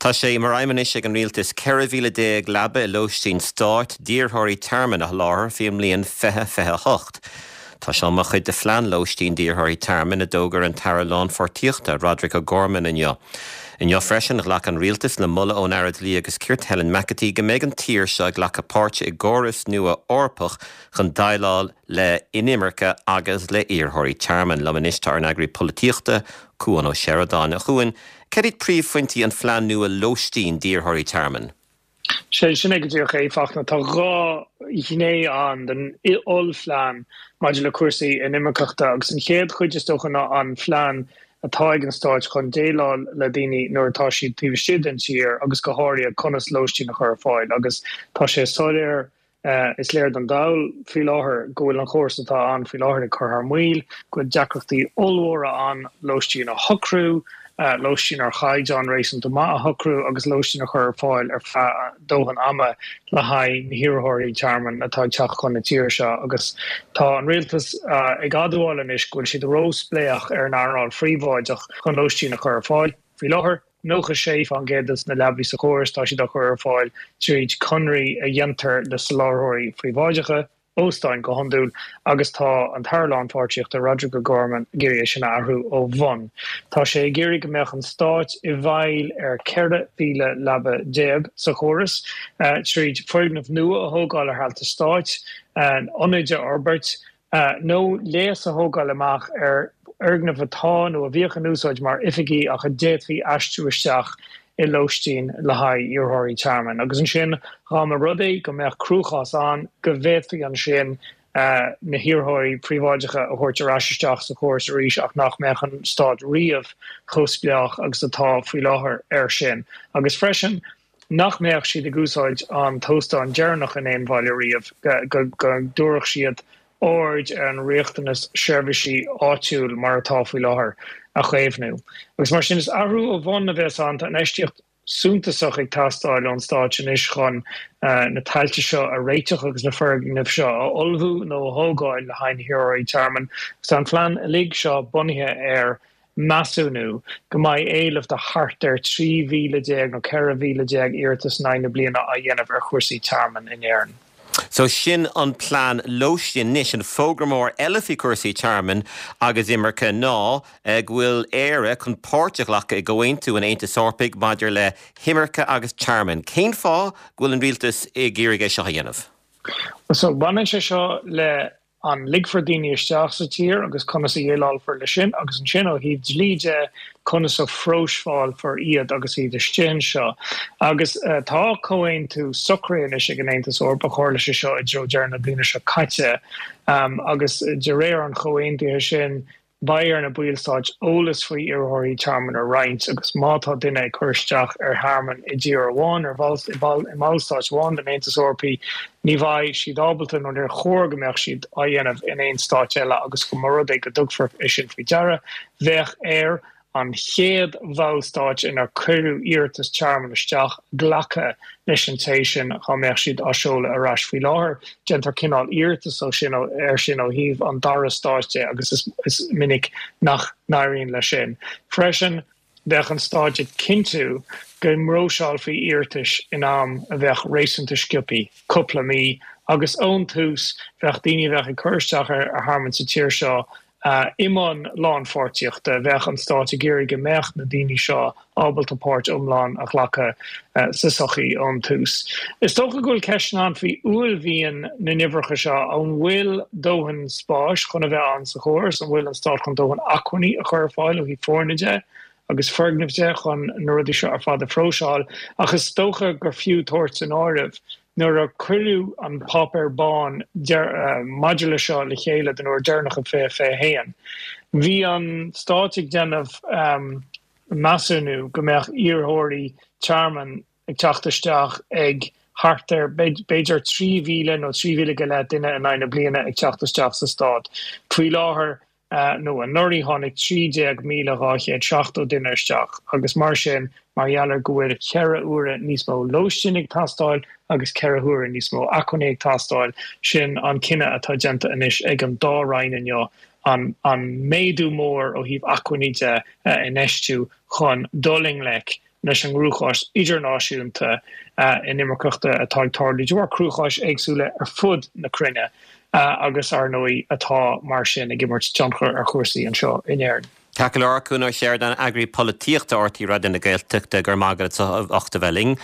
Tá sé mar aidhm anois ag an Rialtas 14,000 leaba i lóistín stáit d'iarrthóirí tearmainn a sholáthar faoin mbliain 2028. Tá seo mar chuid de phlean lóistín d'iarrthóirí tearmainn a d'fhógair an tAire Lánpháirtíochta, Roderic O'Gorman inniu. Inniu freisin, ghlac an Rialtas le moladh ón Aire Dlí agus Cirt, Helen McEntee, go mbeidh an tír seo ag glacadh páirte i gcóras nua Eorpach chun déileáil le inimirce agus le hiarrthóirí tearmainn. Liom anois tá ár n-eagraí polaitíochta, Cuan Ó Seireadáin. A Chuain, Cad iad príomhphointí an phlean nua lóistín d'iarrthóirí tearmainn? Sé sin é go díreach a Fhachtna. Tá 2 ghné ann den ollphlean maidir le cúrsaí inimirceachta agus an chéad chuid is dócha ná an phlean atá ag an Stáit chun déileáil le daoine nuair atá siad taobh istigh den tír agus go háirithe conas lóistín a chur ar fáil agus tá sé soiléir Is léir don dall faoi láthair go bhfuil an chóras atá ann faoi láthair ag cur thar maoil, go bhfuil deacrachtaí ollmhóra ann lóistín a shocrú, lóistín ar chaighdeán réasúnta maith a shocrú agus lóistín a chur ar fáil ar feadh dóthain ama le haghaidh na hiarrthóirí tearmainn atá ag teacht chun na tíre seo. Agus tá an rialtas ag admháil anois go bhfuil siad róspléach ar an earnáil phríobháideach chun lóistín a chur ar fáil faoi láthair. 96% de na leabaí sa chóras, tá siad á chur ar fáil tríd conraí a dhéantar le soláthróirí phríobháideacha, óstáin go hiondúil, agus tá an tAire Lánpháirtíochta, Roderic O'Gorman, ag iarraidh é sin a athrú ó bhun. Tá sé ag iarraidh go mbeadh an Stáit i bhfeighil ar 14,000 leaba sa chóras, tríd foirgnimh nua a thógáil ar thailte stáit, ionaid a fhorbairt, nó léas a thógáil amach ar fhoirgnimh atá nó a bhíodh in úsáid mar oifigí ach a d'fhéadfaí aistriú isteach i lóistín le haghaidh iarrthóirí tearmainn. Agus ansin, dhá mba rud é go mbeadh cruachás ann, go bhféadfaí ansin na hiarrthóirí príobháideacha a thabhairt ar ais isteach sa chóras arís ach nach mbeadh an Stát riamh chomh spleách agus atá faoi láthair air sin. Agus freisin, nach mbeadh siad ag úsáid an t-óstán deireanach in aon bhaile riamh, go dtabharfadh siad aird ar an riachtanas seirbhísí áitiúil mar atá faoi láthair a chaomhnú. Agus mar sin, is athrú ó bhun a bheas ann. Tá infheistíocht suntasach ag teastáil ón Stáit anois chun na tailte seo a réiteach agus na foirgnimh seo a ullmhú nó a thógáil le haghaidh na hiarrthóirí tearmainn. Agus tá an phlean uilig seo bunaithe ar measúnú go mbeidh éileamh de thart ar 13,000 nó 14,000 iarratas in aghaidh na bliana á dhéanamh ar chúrsaí tearmainn in Éirinn. So sin an plean lóistín. Anois, an fógra mór eile faoi chúrsaí tearmainn agus imirce ná go bhfuil Éire chun páirt a ghlacadh i gComhaontú an Aontais Eorpaigh maidir le hImirce agus Tearmann. Cén fáth go bhfuil an rialtas ag iarraidh é seo a dhéanamh? So baineann sé seo le an ligfear daoine isteach sa tír agus conas a dhéileálfar leis sin, agus ansin ó thaobh dlí de, conas a phróiseálfar iad agus iad istigh anseo. Agus tá comhaontú socraithe anois ag an Aontas Eorpach, tharla sé seo i dtreo deireadh na bliana seo caite, agus de réir an chomhaontaithe sin, Beidh ar na ballstáit eolas faoi iarrthóirí tearmainn a roinnt agus má tá duine ag cur isteach ar thearmann i dtír amháin, ar i mballstát amháin den Aontas Eorpaí, ní bheidh siad ábalta nó níor chóir go mbeadh siad á dhéanamh in aon stát eile agus go mba rud é go dtugfar é sin faoi deara, bheadh air an chéad bhallstát inar cuireadh iarratas tearmainn isteach glacadh leis an té sin dhá mbeadh siad á seoladh ar ais. Faoi láthair, déantar cineál iarratas ó sin air sin ó thaobh an dara stáit de agus is minic nach n-éiríonn leis sin. Freisin, bheadh an Stát ag cinntiú go bpróiseálfaí iarratais in am a bheadh réasúnta sciobtha, cúpla mí, agus ón tús bheadh daoine a bheadh ag cur isteach ar thearmann sa tír seo I mbun lánpháirtíochta, bheadh an Stát ag iarraidh go mbeadh na daoine seo ábalta páirt iomlán a ghlacadh sa tsochaí ón tús. Is dócha go bhfuil ceisteanna ann faoi uaillmhian na n-uimhreacha seo. An bhfuil dóthain spáis chun a bheith ann sa chóras? An bhfuil an Stát chun dóthain acmhainní a chur ar fáil ó thaobh foirne de agus foirgnimh de chun na rudaí seo ar fad a phróiseáil? Ach is dócha gur fiú tabhairt san áireamh Nuair a cuireadh an Páipéar Bán maidir le seo le chéile den uair deireanach i 2021, bhí an Stát ag déanamh measúnú go mbeadh iarrthóirí tearmainn ag teacht isteach ag thart ar b'fhéidir 3,000 nó 3,000 go leith duine in aghaidh na bliana ag teacht isteach sa Stát. Faoi láthair, nó anuraidh tháinig 13,270 duine isteach agus mar sin, mar gheall ar go bhfuil cheithre huaire níos mó lóistín ag teastáil agus cheithre huaire níos mó acmhainní ag teastáil, sin an cinneadh atá déanta anois ag an dá roinn inniu, an méadú mór ó thaobh acmhainní de a infheistiú chun dul i ngleic. leis an gcruachás idirnáisiúnta inimirceachta atá ag tarlú de bharr cruacháis éagsúla ar fud na cruinne agus, ar ndóigh, atá mar sin ag imirt tionchar ar chúrsaí anseo in Éirinn. Ceart go leor, Cuan Ó Seireadáin, Eagraí Polaitíochta RTÉ Raidió na Gaeltachta, go raibh maith agat as ucht a bheith linn.